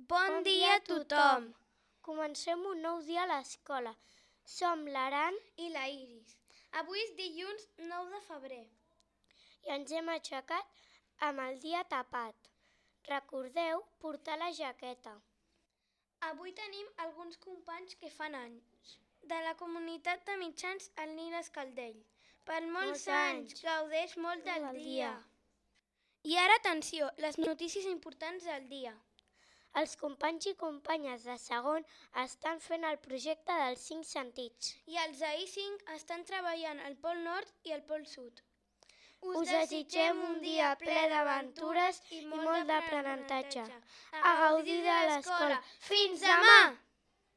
Bon dia a tothom! Comencem un nou dia a l'escola. Som l'Aran I la Iris. Avui és dilluns 9 de febrer. i ens hem aixecat amb el dia tapat. Recordeu portar la jaqueta. Avui tenim alguns companys que fan anys. De la comunitat de mitjans el Nil Escaldell. Per molts anys, gaudeix molt del dia. I ara atenció, les notícies importants del dia. Els companys i companyes de segon estan fent el projecte dels 5 sentits. I els AI5 estan treballant al Pol Nord i al Pol Sud. Us desitgem un dia ple d'aventures i molt d'aprenentatge. A gaudir de l'escola. Fins demà!